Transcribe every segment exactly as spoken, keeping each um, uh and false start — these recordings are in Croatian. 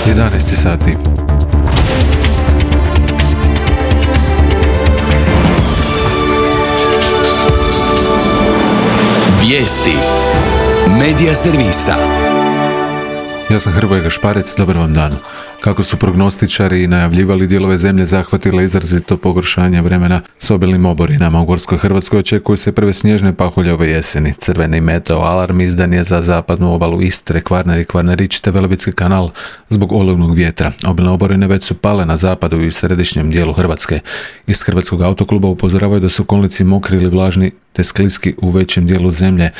jedanaest sati. Vijesti Medija servisa. Ja sam Hrvoje Gašparec, dobar vam dan. Kako su prognostičari najavljivali, dijelove zemlje zahvatila izrazito pogoršanje vremena s obilnim oborinama. U Gorskoj Hrvatskoj očekuju se prve snježne pahulje ove jeseni. Crveni meteo alarm izdan je za zapadnu obalu Istre, Kvarner i Kvarnerić te Velebitski kanal zbog olujnog vjetra. Obilne oborine već su pale na zapadu i središnjem dijelu Hrvatske. Iz Hrvatskog autokluba upozoravaju da su kolnici mokri ili vlažni te skliski u većem dijelu zemlje.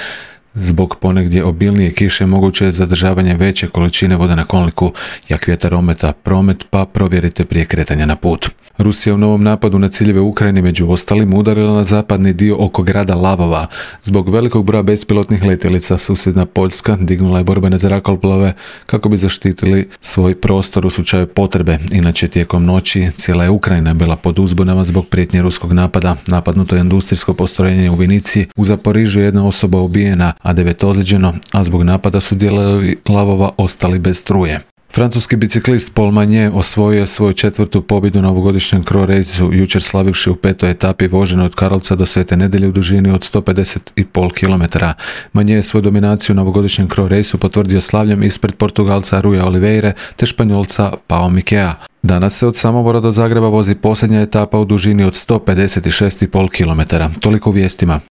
Zbog ponegdje obilnije kiše moguće je zadržavanje veće količine vode na kolniku, jak vjetar ometa promet, pa provjerite prije kretanja na put. Rusija u novom napadu na ciljeve Ukrajine među ostalim udarila na zapadni dio oko grada Lavova. Zbog velikog broja bespilotnih letjelica susjedna Poljska dignula je borbene zrakoplove kako bi zaštitili svoj prostor u slučaju potrebe. Inače, tijekom noći cijela je Ukrajina bila pod uzbunama zbog prijetnje ruskog napada. Napadnuto je industrijsko postrojenje u Vinici, u Zaporižju jedna osoba ubijena, a devet ozlijeđeno, a zbog napada su dijelovi Lavova ostali bez struje. Francuski biciklist Paul Magnier osvojio je svoju četvrtu pobjedu na ovogodišnjem Croix Raceu, jučer slavivši u petoj etapi vožene od Karlovca do Svete Nedelje u dužini od sto pedeset i pol kilometara. Magnier je svoju dominaciju na ovogodišnjem Croix Raceu potvrdio slavljem ispred Portugalca Ruja Oliveire te Španjolca Pao Mikea. Danas se od Samobora do Zagreba vozi posljednja etapa u dužini od sto pedeset šest i pol kilometara. Toliko u vijestima.